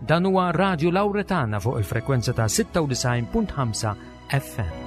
Dan huwa Radio Lauretana fuq il-frekwenza ta' 96.5 FM.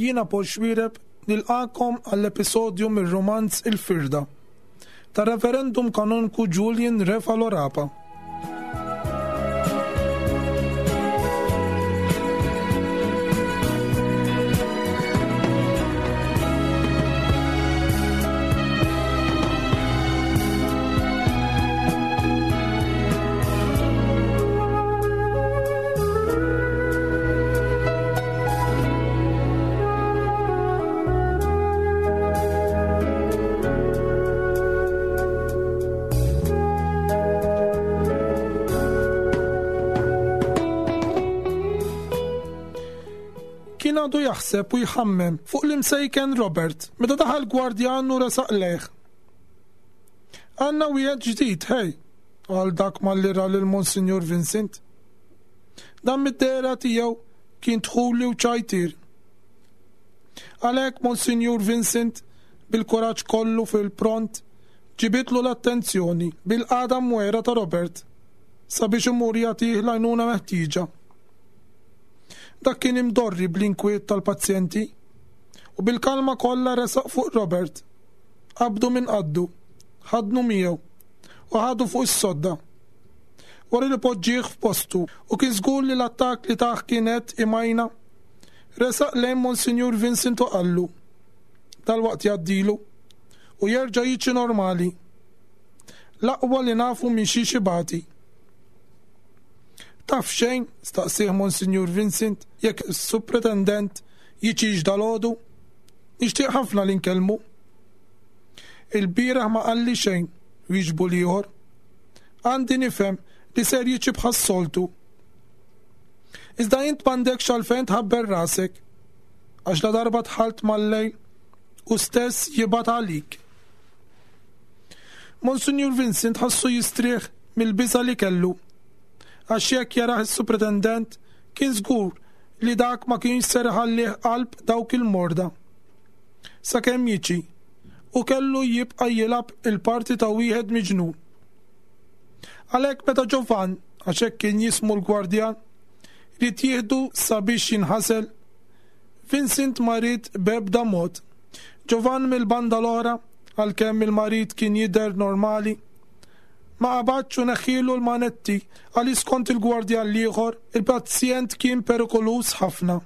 Jiena Paul Xwireb nilqakom għall-episodju mir-romanz Il-Firda ta' Reverendum Kanonku Julian Refalo Rapa. Kien għadu jaħseb u jħammem fuq l-imsejken Robert meta daħal gwardjan u resaq lejh. Għandna wieħed ġdid, ħej, qal dak malli ra lil Monsinjur Vincent. Dan mid-dehra tiegħu kien dħuli u ċajtier. Għalhekk Monsinjur Vincent bil-kuraġġ kollu fil-pront ġibidlu l-attenzjoni bil-qagħda mwegħra ta' Robert sabiex imur jagħtih l-għajnuna meħtieġa. Dak kien imdorri bl-inkwiet tal-pazjenti u bil-kalma kollha resaq fuq Robert. Qabdu minn qaddu, ħadnu miegħu u ħadu fuq is-sodda. Wara li poġġieh f'postu u kien żgur li l-attakk li tah kien qed imajna, resaq lejn Monsinjur Vincent u qallu, Dalwaqt jgħaddilu u jerġa' jiġi normali. L-aqwa li nafu minn xiex ibati. Taf xejn, staqsieh Monsinjur Vincent, jekk is-Supretendent jiġix dalgħodu? Nixtieq ħafna li nkellmu. Il-bieraħ ma qalli xejn, wieġbu l-ieħor. Għandi nifhem li ser jiġi bħas-soltu. Iżda int m'għandekx għalfejn tħabber rasek, għax ladarba dħalt mal-lejl hu stess jibgħat għalik. Monsinjur Vincent ħassu jistrieħ mill-biża' li kellu, għax jekk jarah is-Supretendent kien żgur li dak ma kienx ser iħallih qalb dawk il-morda. Sakemm jiġi, u kellu jibqa' jilgħab il-parti ta' wieħed miġnun. Għalhekk meta Ġovann, għax hekk kien jismu l-gwardjan, ried jieħdu sabiex jinħasel, Vincent ma ried b'ebda mod. Ġovann mill-banda l-oħra, għalkemm il-marid kien jidher normali, ma qabadx u neħħielu l-manetti għaliex skont il-gwardjan l-ieħor, il-pazjent kien perikoluż ħafna.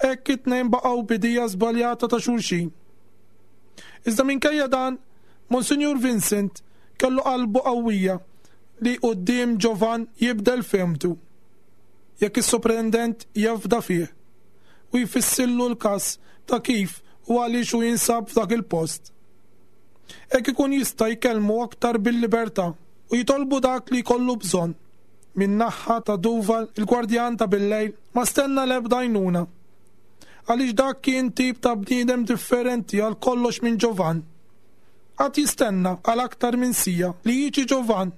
Hekk it-tnejn baqgħu b'idea żbaljata ta' xulxin. Iżda minkejja dan, Monsinjur Vincent kellu qalbu qawwija li quddiem Ġovann jibdel fehmtu. Jekk is-Soprendent jafda fih u jfissillu l-każ ta' kif u għaliex hu jinsab f'dak il-post. Hekk ikun jista' jkellmu aktar bil-libertà u jitolbu dak li jkollu bżonn. Min-naħha ta' Duval, il-gwardjan ta' bil-lejl, ma stenna l-ebda għajnuna. Għaliex dak kien tip ta' bniedem differenti għal kollox minn Ġovann. Qagħad jistenna għal aktar minn siegħa li jiġi Ġovann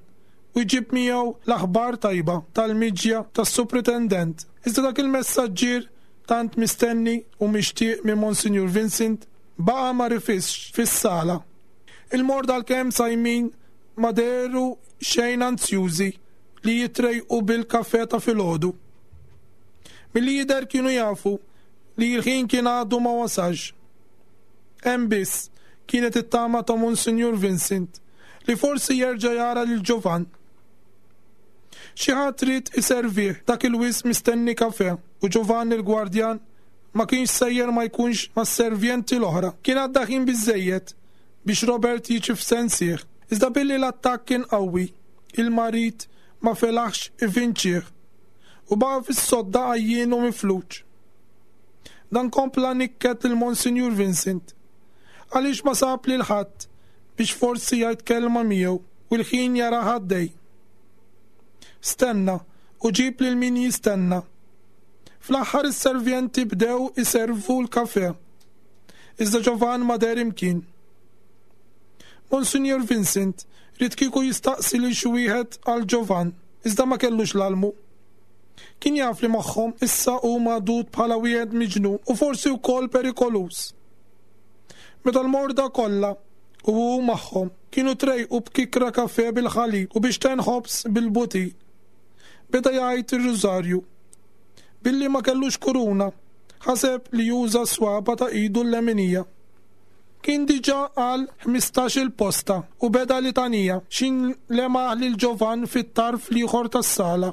u jġib miegħu l-aħbar tajba tal-miġja tas-Supritendent. Iżda dak il-messaġġier tant mistenni u mixtieq minn Monsinjur Vincent baqa' ma rifisx fis-sala. Il-morda għalkemm sajmin ma dehru xejn anzjużi li jitrejqu bil-kafè ta' filgħodu. Milli jidher kienu jafu li l-ħin kien għadu ma wasalx. Hemm biss kienet it-tama ta' Monsinjur Vincent li forsi jerġa' jara lil Ġovann. Xi ħadd ried iservih dak il-wisq mistenni kafè u Ġovann il-gwardjan ma kienx sejjer ma jkunx mas-servjenti l-oħra. Kien għadda ħin biżżejjed biex Robert jiġi f'sensih. Iżda billi l-attakk kien qawwi, il-marid ma felaħx ivinċih u baqa' fis-sodda għajjien u mifluġ. Dan kompla nikket lil Monsinjur Vincent għaliex ma sab lil ħadd biex forsi jgħid kelma miegħu u l-ħin jarah għaddej. Stenna u ġib lil min jistenna. Fl-aħħar is-servjenti bdew iservu l-kafè. Iżda Ġovan ma deher imkien. Monsinjur Vincent ried kieku jistaqsi lil xi wieħed għal Ġovan, iżda ma kellux l-almu. Kien jaf li magħhom issa hu magħdud bħala wieħed miġnun u forsi wkoll perikoluż. Meta l-morda kollha, u hu magħhom, kienu trejqu b'kikra kafè bil-ħalib u biex ħobż bil-butir, beda jgħid ir-rużarju. Billi ma kellux kuruna, ħaseb li juża s-swaba' ta' idu l-leminija. Kien diġà qal 15-il posta u beda litanija x'in lemaħ lil Ġovann fit-tarf l-ieħor tas-sala.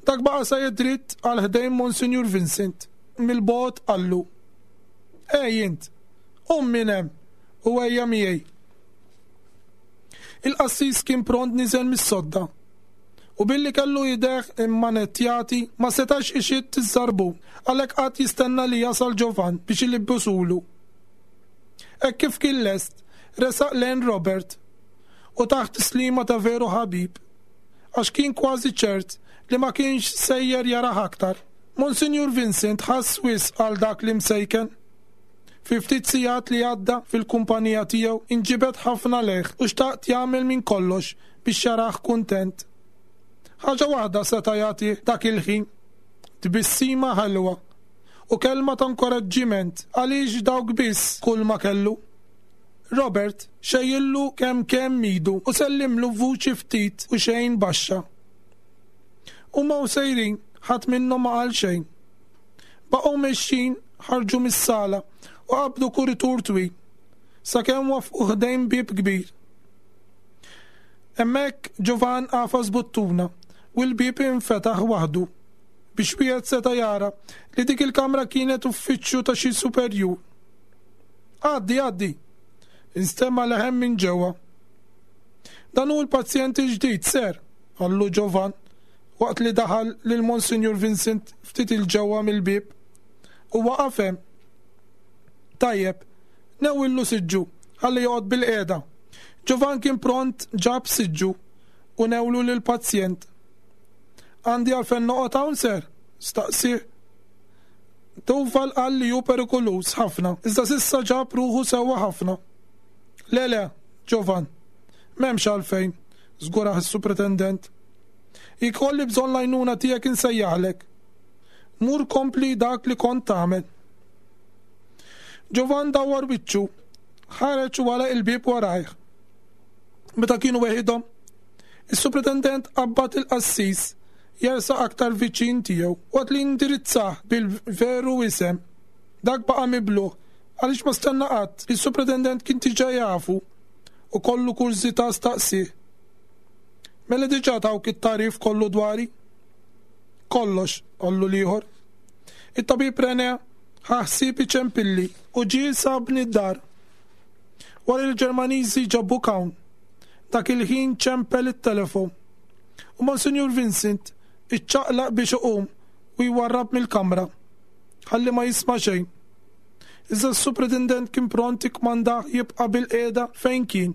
Dak baqa' sejjer dritt għal ħdejn Monsinjur Vincent. Mill-bogħod qallu, Ej int, qum minn hemm u ejja miegħi. Il-qassis kien pront niżel mis-sodda u billi kellu idejh immanettjati ma setax ixidd iż-żarbun, għalhekk qagħad jistenna li jasal Ġovann biex ilibbsulu. Hekk kif kien lest, resaq lejn Robert u tah tislima ta' veru ħabib, għax kien kważi ċert li ma kienx sejjer jarah aktar. Monsinjur Vincent ħass wisq għal dak l-imsejken. Fi ftit sigħat li għadda fil-kumpanija tiegħu inġibed ħafna lejh u xtaqt jagħmel minn kollox biex jarah kuntent. Ħaġa waħda seta' jagħtih dak il-ħin, tbissima ħelwa u kelma ta' nkoraġġiment għaliex dawk biss kulma kellu. Robert xejjillu kemm kemm idu u sellimlu b'vuċi ftit u xejn baxxa. Huma u sejrin, ħadd minnhom ma qal xejn. Baqgħu mexjin, ħarġu mis-sala u qabdu kuritur twil, sakemm wafqu ħdejn bieb kbir. Hemmhekk Ġovann għafas buttuna u l-bieb infetaħ waħdu biex wieħed seta' jara li dik il-kamra kienet uffiċċju ta' xi superjur. Għaddi, għaddi! Instema' leħen minn ġewwa. Dan hu l-pazjent il-ġdid, ser, qallu Ġovann waqt li daħal lil Monsinjur Vincent ftit 'il ġewwa mill-bieb u waqaf hemm. Tajjeb, newwillu siġġu ħalli joqgħod bilqiegħda. Ġovann kien pront ġab siġġu u newlu lill-pazjent. Għandi għalfejn noqgħod hawn, sir? staqsieh. Duval qal li hu perikoluż ħafna, iżda s'issa ġab ruħu sewwa ħafna. Le, le, Ġovann, m'hemmx għalfejn, żgurah is-Supretendent. Jekk ikolli bżonn l-għajnuna tiegħek insejjaħlek. Mur kompli dak li kont tagħmel. Ġovann dawwar wiċċu, ħareġ u għalaq il-bieb warajh. Meta kienu weħidhom, is-Supretendent qabbad il-qassis jersaq aktar viċin tiegħu waqt li indirizzah bil-veru isem. Dak baqa' mibluh għaliex ma stenna qatt li s-Supretendent kien diġà jafu u kollu kurżità staqsieh. Mela diġà tawk it-tagħrif kollu dwari? Kollox, qallu l-ieħor. It-tabib René ħa ħsieb iċempilli u ġie sabni d-dar. Wara li l-Ġermaniżi ġabuk hawn, dak il-ħin ċempel it-telefon. U Monsinjur Vincent iċċaqlaq biex iqum u jwarrab mill-kamra, ħalli ma jisma' xejn. Iżda s-Supretendent kien pront ikkmandah jibqa' bilqiegħda fejn kien.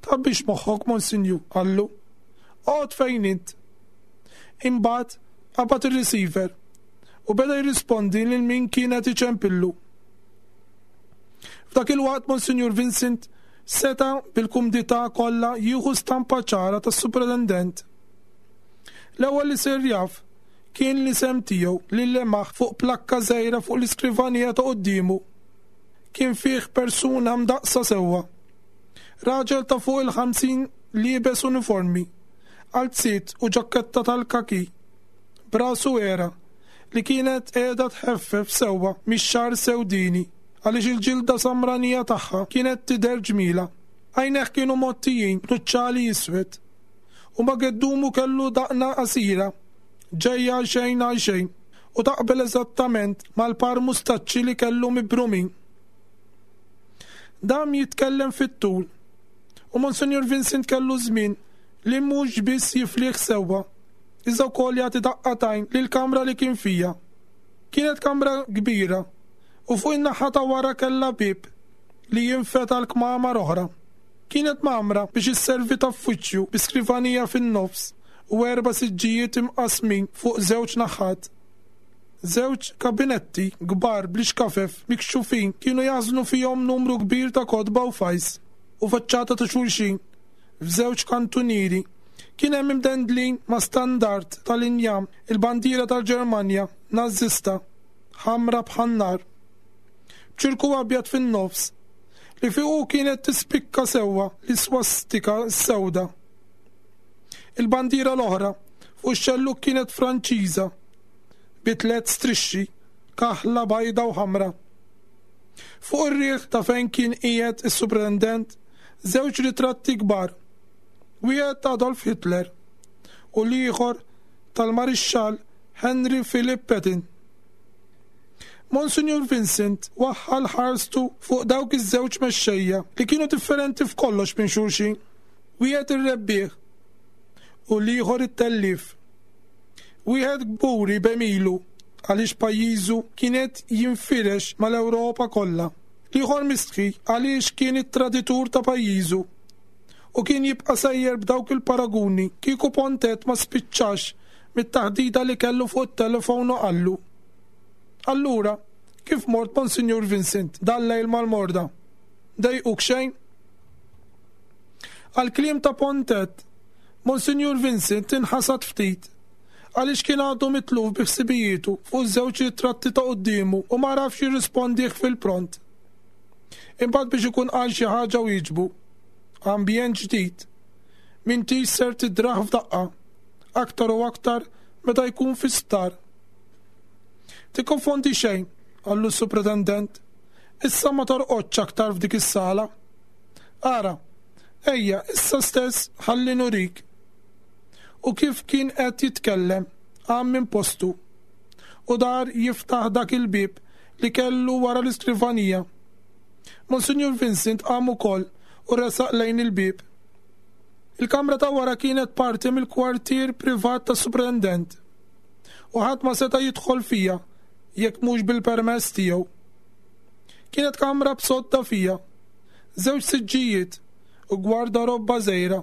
Tgħabbix moħħok, Monsinjur, qallu. Oqgħod fejn int. Imbagħad qabad ir-receiver u beda jirrispondi lil min kien qed iċempillu. F'dak il-waqt Monsinjur Vincent seta' bil-kumdità kollha jieħu stampa ċara tas-Supretendent. L-ewwel li sir jaf kien l-isem tiegħu li lemaħ fuq plakka żgħira fuq l-iskrivanija ta' quddiemu. Kien fih persuna mdaqqsa sewwa. Raġel ta' fuq il-50 liebes uniformi, qalziet u ġakketta tal-kaki, b'rasu għera li kienet qiegħda tħeffef sewwa mix-xagħar sewdieni għaliex il-ġilda samranija tagħha kienet tidher ġmielha. Għajnejh kienu mgħottijin b'nuċċali iswed u ma' geddumu kellu daqna qasira ġejja għal xejn għal xejn u taqbel eżattament mal-par mustaċċi li kellu mibrumin. Dam jitkellem fit-tul u Monsinjur Vincent kellu żmien li mhux biss jiflih sewwa, iżda wkoll jagħti daqqa t'għajn lill-kamra li kien fiha. Kienet kamra kbira u fuq in-naħa ta' wara kellha bieb li jinfed għal kmamar oħra. Kienet mgħammra biex isservi ta' uffiċċju bi skrivanija fin-nofs u erba' siġġijiet imqassmin fuq żewġ naħat. Żewġ kabinetti kbar bl-ixkafef mikxufin kienu jaħżnu fihom numru kbir ta' kotba u fajls, u faċċata ta' xulxin, f'żewġ kantunieri, kien hemm imdendlin ma' standard tal-injam il-bandiera tal-Ġermanja Nażista, ħamra bħan-nar, b'ċirku abjad fin-nofs, li fuqu kienet tispikka sewwa l-iswastika s-sewda. Il-bandiera l-oħra fuq ix-xellug kienet Franċiża, bi tlett strixxi, kaħla, bajda u ħamra. Fuq ir-riħ ta' fejn kien qiegħed is-Supretendent, żewġ ritratti kbar, wieħed ta' Adolf Hitler u l-ieħor tal-Marixxall Henry Philip Patton. Monsinjur Vincent waħħal ħarstu fuq dawk iż-żewġ mexxejja li kienu differenti f'kollox minn xulxin, wieħed ir-rebbieħ u l-ieħor it-tellief. Wieħed kburi b'għemilu għaliex pajjiżu kien qed jinfirex mal-Ewropa kollha. L-ieħor mistħi għaliex kien it-traditur ta' pajjiżu. U kien jibqa' sejjer b'dawk il-paraguni kieku Pontet ma spiċċax mit-taħdita li kellu fuq it-telefon u qallu, Allura, kif mort Monsinjur Vincent dal-lejl mal-morda? Dejquk xejn? Għall-kliem ta' Pontet, Monsinjur Vincent inħasad ftit għaliex kien għadu mitluf bi ħsibijietu fuq iż-żewġ ritratti ta' quddiemu u ma għarafx jirrispondih fil-pront. Imbagħad biex ikun qal xi ħaġa wieġbu, Ambjent ġdid. M'intix ser tidrah f'daqqa, aktar u aktar meta jkun fi sptar. Tikkonfondi xejn, qallu s-Supretendent. Issa ma torqodx aktar f'dik is-sala. Ara, Ejja, issa stess ħalli nurik. U kif kien qed jitkellem, qam minn postu u dar jiftaħ dak il-bieb li kellu wara l-iskrivanija. Monsinjur Vincent qam ukoll u resaq lejn il-bieb. Il-kamra ta' wara kienet parti mill-kwartier privat tas-Suprintendent u ħadd ma seta' jidħol fiha jekk mhux bil-permess tiegħu. Kienet kamra b'sodda fiha. żewġ siġġijiet u gwardarobba żgħira.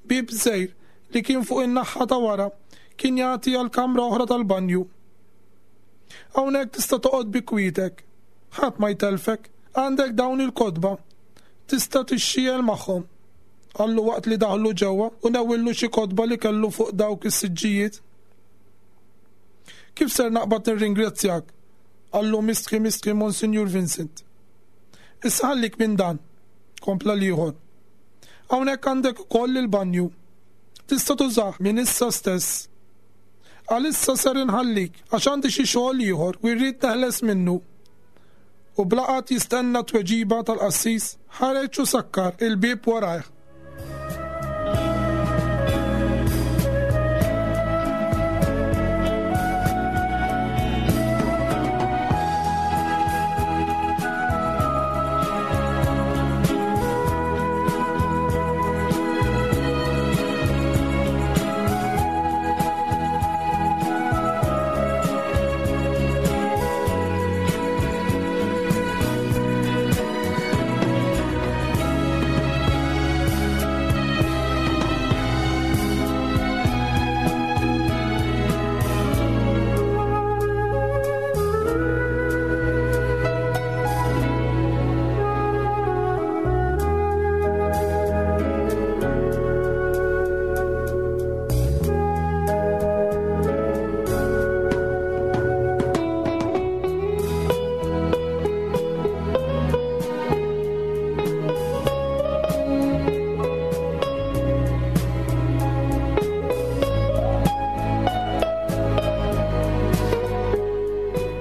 Bieb żgħir li kien fuq in-naħha ta' wara kien jagħti għal kamra oħra tal-banju. Hawnhekk tista' toqgħod bi kwietek. Ħadd ma jtellfek. Għandek dawn il-kotba. Tista' tixxiegħel magħhom. Qallu waqt li daħlu ġewwa u newwillu xi kotba li kellu fuq dawk is-siġġijiet. Kif ser naqbad nirringrazzjak? Qallu mistħi mistħi Monsinjur Vincent. Issa ħallik minn dan, kompla l-ieħor. Hawnhekk għandek ukoll il-banju. Tista' tużah minn issa stess. Għalissa ser inħallik għax għandi xi xogħol ieħor u rrid neħles minnu. U bla qagħad jistenna t-tweġiba tal-qassis, ħareġ u sakkar il-bieb warajh.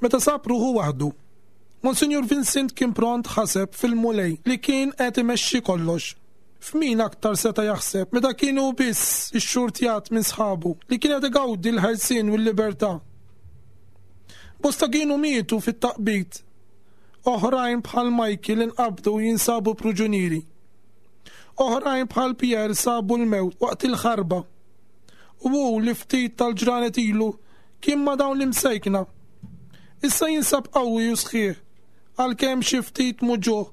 Meta sab ruħu waħdu, Monsinjur Vincent kien pront ħaseb fil-Mulej li kien qed imexxi kollox. F'min aktar seta' jaħseb meta kien hu biss ixxurtjat minn sħabu li kien qed igawdi l-ħelsien u l-libertà. Bosta kienu mietu fit-taqbid Oħrajn bħal Michael inqabdu u jinsabu pruġunieri. Oħrajn bħal Pierre sabu l-mewt waqt il-ħarba. U hu li ftit tal-ġranet ilu kien ma' dawn l-imsejkna. Issa jinsab qawwi u sħiħ, għalkemm xi ftit muġugħ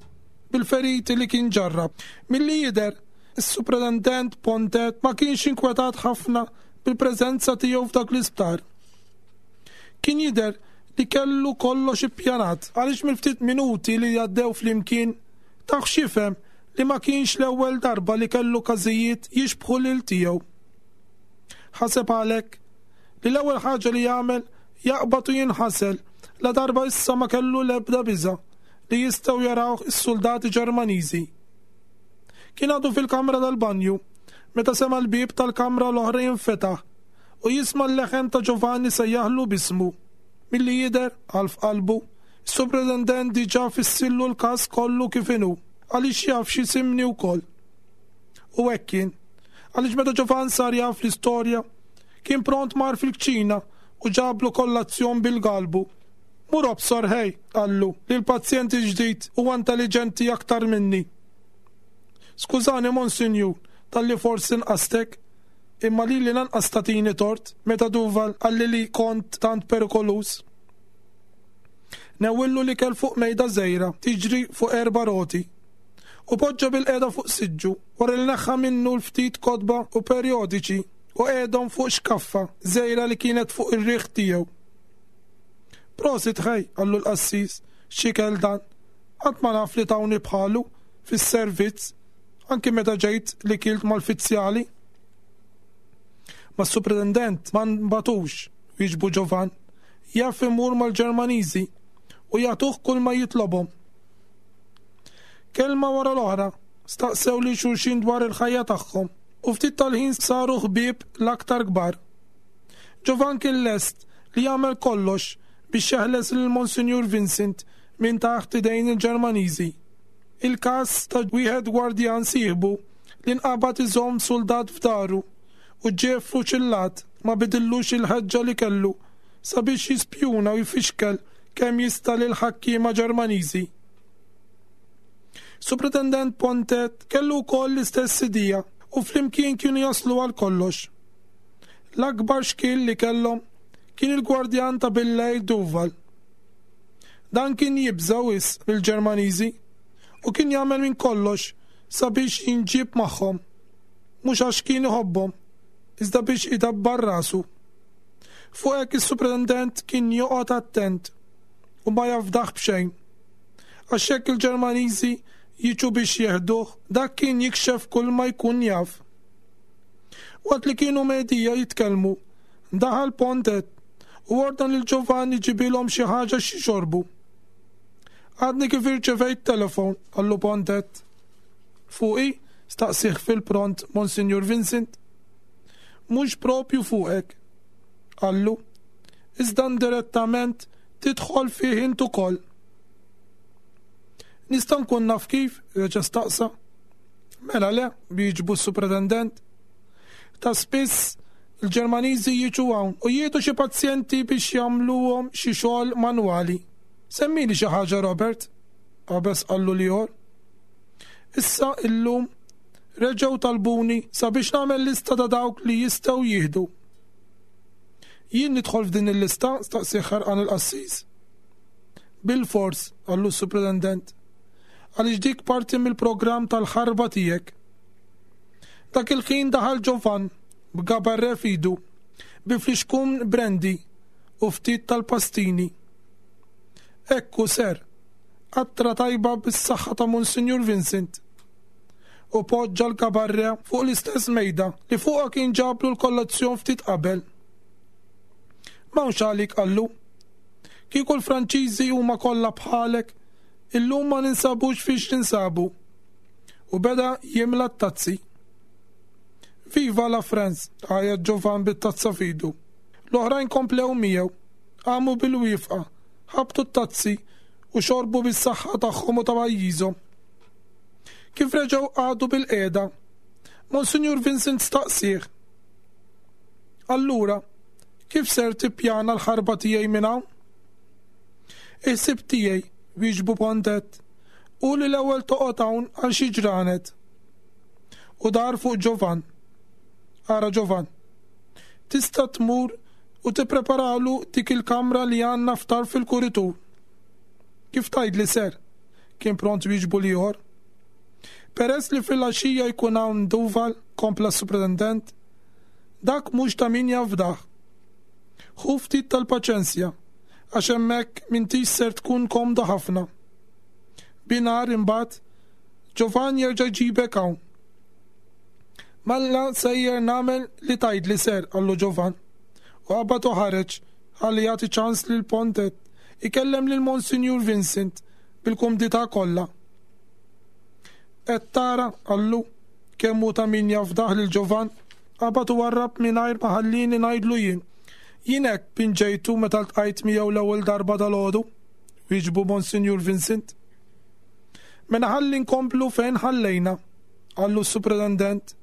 bil-feriti li kien ġarrab. Milli jidher, is-Supretendent Pontet ma kienx inkwetat ħafna bil-preżenza tiegħu f'dak l-isptar. Kien jidher li kellu kollox ippjanat għaliex mill-ftit minuti li għaddew flimkien tah x'jifhem li ma kienx l-ewwel darba li kellu każijiet jixbħu lil tiegħu. Ħaseb għalhekk li l-ewwel ħaġa li jagħmel jaqbad u jinħasel ladarba issa ma kellu l-ebda biża' li jistgħu jarawh is-suldati Ġermaniżi. Kien għadu fil-kamra tal-banju meta sema' l-bieb tal-kamra l-oħra jinfetaħ u jisma' l-leħen ta' Giovanni sejjaħlu b'ismu. Milli jidher, qal f'qalbu, is-Supretendent diġà fissillu l-każ kollu kif inhu, għaliex jaf x'isimni wkoll. U hekk kien, għaliex meta Giovanni sar jaf l-istorja, kien pront mar fil-kċina u ġablu kollazzjon bil-galbu. Mur obsor ħej, qallu, li l-pazjent il-ġdid huwa intelliġenti aktar minni. Skużani, Monsinjur, talli forsi nqastek, imma lili lanqas tagħtini tort meta Duval qalli li kont tant perikoluż. Newwillu l-ikel fuq mejda żgħira tiġri fuq erba' roti u poġġa bilqiegħda fuq siġġu wara li neħħa minnu l-ftit kotba u perjodiċi u qiegħdhom fuq xkaffa żgħira li kienet fuq ir-riħ tiegħu. Prosit ħej, qallu l-qassis, x'ikel dan! Qatt ma naf li tawni bħalu fis-servizz, anki meta ġejt li kilt mal-fizzjali. Mas-supretendent ma nbatux, wieġbu Ġovan, jaf imur mal-Ġermaniżi u jagħtuh kulma jitlobhom. Kelma wara l-oħra, staqsew lil xulxin dwar il-ħajja tagħhom u ftit tal-ħin saru ħbieb l-aktar kbar. Ġovan kien lest li jagħmel kollox biex jeħles lil Monsinjur Vincent minn taħt idejn il-Ġermaniżi. Il-każ ta' wieħed gwardjan sieħbu li nqabad iżomm suldat f'daru u ġie ffuċillat ma bidillux il-ħeġġa li kellu sabiex jispjuna u jfixkel kemm jista' lill-ħakkiema Ġermaniżi. Supretendent Pontet kellu wkoll l-istess idea u flimkien kienu jaslu għal kollox. L-akbar xkiel li kellhom kien il-gwardjan ta' billejl Duval. Dan kien jibża' wisq mill-Ġermaniżi u kien jagħmel minn kollox sabiex jinġieb magħhom, mhux għax kien iħobbhom, iżda biex idabbar rasu. Fuq hekk is-supretendent kien joqgħod attent u ma jafdah b'xejn. Għax jekk il-Ġermaniżi jiġu biex jeħduh, dak kien jikxef kulma jkun jaf. Waqt li kienu medija jitkellmu, daħal Pontet u ordna lil Giovanni jġibilhom xi ħaġa x'jixorbu. Għadni kif irċevejt telefon, qallu Pontet. Fuqi? staqsih fil-pront Monsinjur Vincent. Mhux propju fuqek, qallu, iżda indirettament tidħol fih int ukoll. Nista' nkun naf kif? reġa' staqsa. Mela le, wieġbu s-supretendent. Ta' spiss il-Ġermaniżi jiġu hawn u jieħdu xi pazjenti biex jagħmluhom xi xogħol manwali. Semmili xi ħaġa Robert, qabeż qallu l-ieħor. Issa illum reġgħu talbuni sabiex nagħmel lista ta' dawk li jistgħu jieħdu. Jien nidħol f'din il-lista? staqsieh ħerqan il-qassis. Bilfors, qallu s-supretendent. Għaliex dik parti mill-programm tal-ħarba tiegħek. Dak il-ħin daħal Ġovan b'gabarre f'idu, bi flixkun brandy u ftit tal-pastini. Ekku, ser, qatra tajba bis-saħħa ta' Monsinjur Vincent. U poġġa l-gabarre fuq l-istess mejda li fuqha kien ġablu l-kollazzjon ftit qabel. M'hawnx għalik qallu. Kieku l-Franċiżi huma kollha bħalek, illum ma ninsabux fiex ninsabu. U beda jimla t-tazzi. Viva la France! għajjat Ġovan bit-tazza f'idu. L-oħrajn komplew miegħu. Qamu bil-wieqfa, ħabtu t-tazzi u xorbu bis-saħħa tagħhom u ta' pajjiżhom. Kif reġgħu qagħdu bilqiegħda, Monsinjur Vincent staqsieh, Allura, kif ser tippjana l-ħarba tiegħi minn hawn? Il-ħsieb tiegħi, wieġbu Pontet, hu li l-ewwel toqgħod hawn għal xi ġranet. U dar fuq Ġovan. Ara Ġovan. Tista' tmur u tippreparalu dik il-kamra li għandna f'tarf il-kuritur. Kif tgħidli ser? Kien pront wieġbu l-ieħor. Peress li filgħaxija jkun hawn Duval, kompla s-supretendent, dak mhux ta' min jafdah. Ħu ftit tal-paċenzja, għax hemmhekk m'intix ser tkun komda ħafna. Binhar imbagħad, Ġovan jerġa' jġibek hawn. Mela sejjer nagħmel li tgħidli ser, qallu Ġovan. U qabad u ħareġ ħalli jagħti ċans lil Pontet ikellem lil Monsinjur Vincent bil-kumdità kollha. Qed tara, qallu, kemm hu ta' min jafdah lil Ġovan, qabad u warrab mingħajr ma ħallieni ngħidlu jien. Jien hekk pinġejtu meta ltqajt miegħu l-ewwel darba dalgħodu, wieġbu Monsinjur Vincent. Mela ħalli nkomplu fejn ħallejna, qallu s-Supretendent.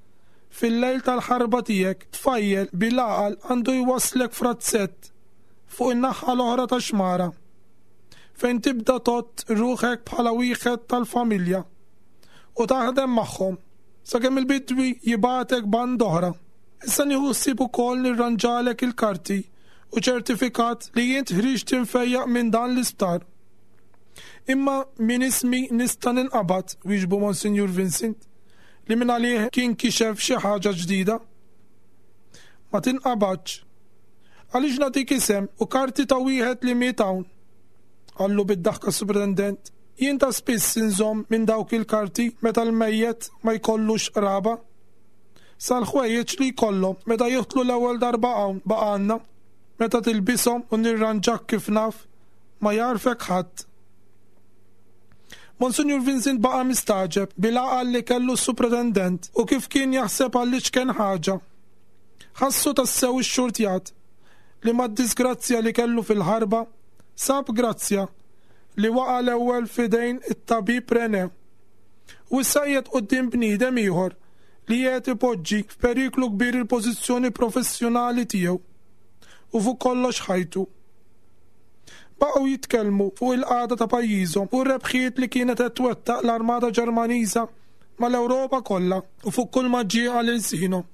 Fil-lejl tal-ħarba tiegħek, tfajjel bil-għaqal għandu jwasslek f'razzett fuq in-naħa l-oħra tax-xmara, fejn tibda tgħodd ruħek bħala wieħed tal-familja u taħdem magħhom sakemm il-bidwi jibgħatek band oħra. Issa nieħu ħsieb ukoll nirranġalek il-karti u ċertifikat li int ħriġt imfejjaq minn dan l-isptar. Imma minn ismi nista' ninqabad, wieġbu Monsinjur Vincent, li mingħalih kien kixef xi ħaġa ġdida. Ma tinqabadx. Għaliex nagħtik isem u karti ta' wieħed li miet hawn? Qallu bid-daħka s-Supretendent. Jien ta' spiss inżomm minn dawk il-karti meta l-mejjet ma jkollux qraba. Sal-ħwejjeġ li jkollhom meta jidħlu l-ewwel darba hawn baqa' għandna. Meta tilbishom u nirranġak kif naf, ma jagħrfek ħadd. Monsinjur Vincent baqa' mistagħġeb bil-għaqal li kellu s-Supretendent u kif kien jaħseb għall-iċken ħaġa. Ħassu tassew ixxurtjat li mad-diżgrazzja li kellu fil-ħarba sab grazzja li waqa' l-ewwel f'idejn it-tabib René u issa qiegħed quddiem bniedem ieħor li qiegħed ipoġġi f'periklu kbir il-pożizzjoni professjonali tiegħu u fuq kollox ħajtu. Baqgħu jitkellmu fuq il-qagħda ta' pajjiżhom u r-rebħiet li kienet qed twettaq l-armata Ġermaniża mal-Ewropa kollha u fuq kulma ġie għal ilsienhom.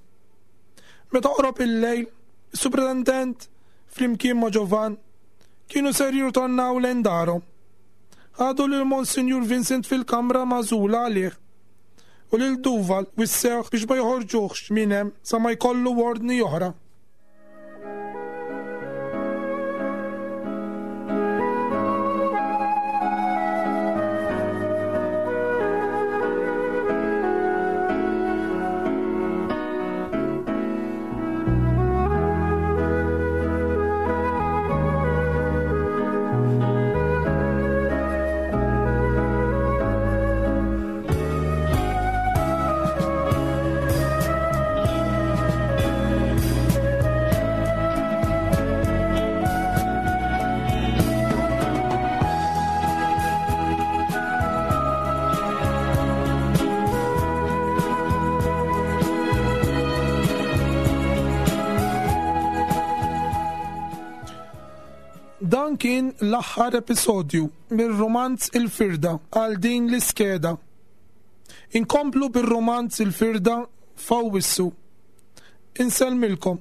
Meta qrob il-lejl, is-Supretendent flimkien ma' Ġovan kienu ser jirritornaw lejn darhom. Ħadu lil Monsinjur Vincent fil-kamra magħżula għalih u lil Duval wissewh biex ma joħorġuhx minn hemm sa ma jkollu ordni oħra. Dan kien l-aħħar episodju mir-rumanz Il-Firda għal din l-iskeda. Inkomplu bir-rumanz Il-Firda f'Awwissu. Insellmilkom.